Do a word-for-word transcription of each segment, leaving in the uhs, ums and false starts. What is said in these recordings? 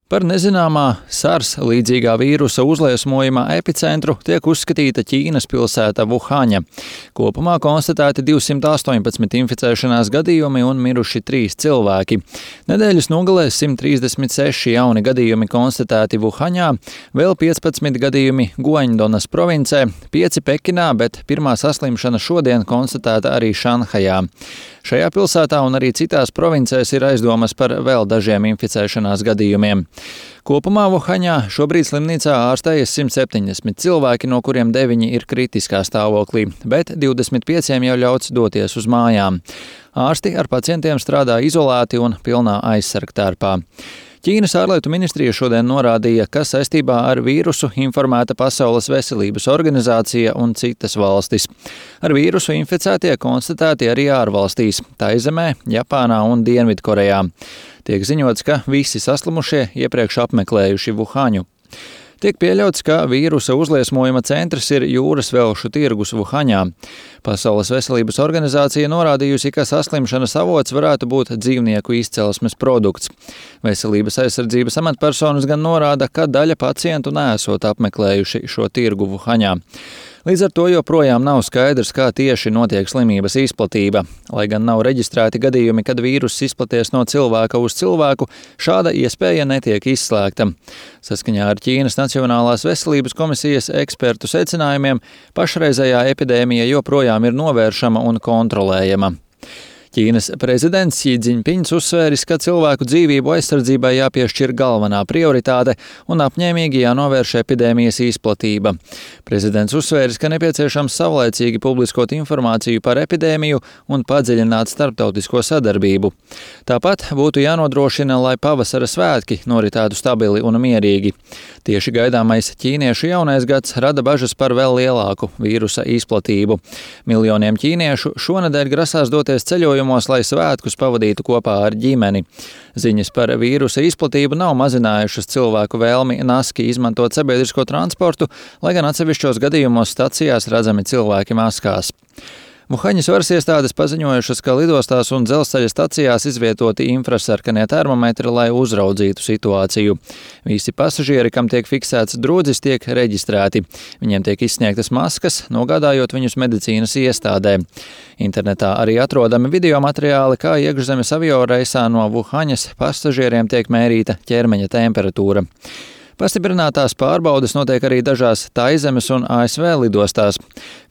Par nezināmā SARS līdzīgā vīrusa uzliesmojuma epicentru tiek uzskatīta Ķīnas pilsēta Vuhaņa. Kopumā konstatēti divsimt astoņpadsmit inficēšanās gadījumi un miruši trīs cilvēki. Nedēļas nogalē simt trīsdesmit seši jauni gadījumi konstatēti Vuhaņā, vēl piecpadsmit gadījumi Guaņdonas provincē, pieci Pekinā, bet pirmā saslimšana šodien konstatēta arī Šanhajā. Šajā pilsētā un arī citās provincēs ir aizdomas par vēl dažiem inficēšanās gadījumiem. Kopumā Vuhaņā šobrīd slimnīcā ārstējas simt septiņdesmit cilvēki, no kuriem deviņi ir kritiskā stāvoklī, bet divdesmit pieciem jau ļauts doties uz mājām. Ārsti ar pacientiem strādā izolēti un pilnā aizsargtērpā. Ķīnas ārlietu ministrija šodien norādīja, ka saistībā ar vīrusu informēta Pasaules veselības organizācija un citas valstis. Ar vīrusu inficētie konstatēti arī ārvalstīs – Taizemē, Japānā un Dienvidkorejā. Tiek ziņots, ka visi saslimušie iepriekš apmeklējuši Vuhaņu. Tiek pieļauts, ka vīrusa uzliesmojuma centrs ir jūras velšu tirgus Vuhaņā. Pasaules veselības organizācija norādījusi, ka saslimšanas avots varētu būt dzīvnieku izcelsmes produkts. Veselības aizsardzības amatpersonas gan norāda, ka daļa pacientu neesot apmeklējuši šo tirgu Vuhaņā. Līdz ar to joprojām nav skaidrs, kā tieši notiek slimības izplatība. Lai gan nav reģistrēti gadījumi, kad vīruss izplaties no cilvēka uz cilvēku, šāda iespēja netiek izslēgta. Saskaņā ar Ķīnas Nacionālās veselības komisijas ekspertu secinājumiem, pašreizējā epidēmija joprojām ir novēršama un kontrolējama. Ķīnas prezidents Xi Jinpings uzsvēris, ka cilvēku dzīvību aizsardzībai jāpiešķir galvenā prioritāte un apņēmīgi jānovērš epidēmijas izplatība. Prezidents uzsvēris, ka nepieciešams savlaicīgi publiskot informāciju par epidēmiju un padziļināt starptautisko sadarbību. Tāpat būtu jānodrošina, lai pavasara svētki noritētu stabili un mierīgi. Tieši gaidāmais ķīniešu jaunais gads rada bažas par vēl lielāku vīrusa izplatību. Miljoniem ķīniešu šonedēļ grasās doties ceļojumos, lai svētkus pavadītu kopā ar ģimeni. Ziņas par vīrusa izplatību nav mazinājušas cilvēku vēlmi naski izmantot sabiedrisko transportu, lai gan atsevišķos gadījumos stacijās redzami cilvēki maskās. Vuhaņas varas iestādes paziņojušas, ka lidostās un dzelzceļa stacijās izvietoti infrasarkanie termometri, lai uzraudzītu situāciju. Visi pasažieri, kam tiek fiksēts drudzis, tiek reģistrēti. Viņiem tiek izsniegtas maskas, nogādājot viņus medicīnas iestādē. Internetā arī atrodami video materiāli, kā iekšzemes avioreisā no Vuhaņas pasažieriem tiek mērīta ķermeņa temperatūra. Pastiprinātās pārbaudes notiek arī dažās Taizemes un A S V lidostās,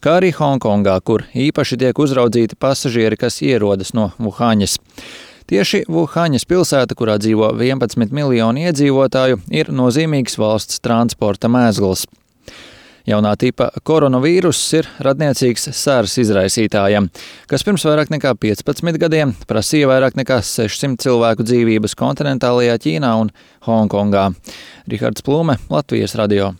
kā arī Honkongā, kur īpaši tiek uzraudzīti pasažieri, kas ierodas no Vuhaņas. Tieši Vuhaņas pilsēta, kurā dzīvo vienpadsmit miljoni iedzīvotāju, ir nozīmīgs valsts transporta mēzgls. Jaunā tipa koronavīruss ir radniecīgs SARS izraisītājam, kas pirms vairāk nekā piecpadsmit gadiem prasīja vairāk nekā sešsimt cilvēku dzīvības kontinentālajā Ķīnā un Honkongā. Rihards Plūme, Latvijas radio.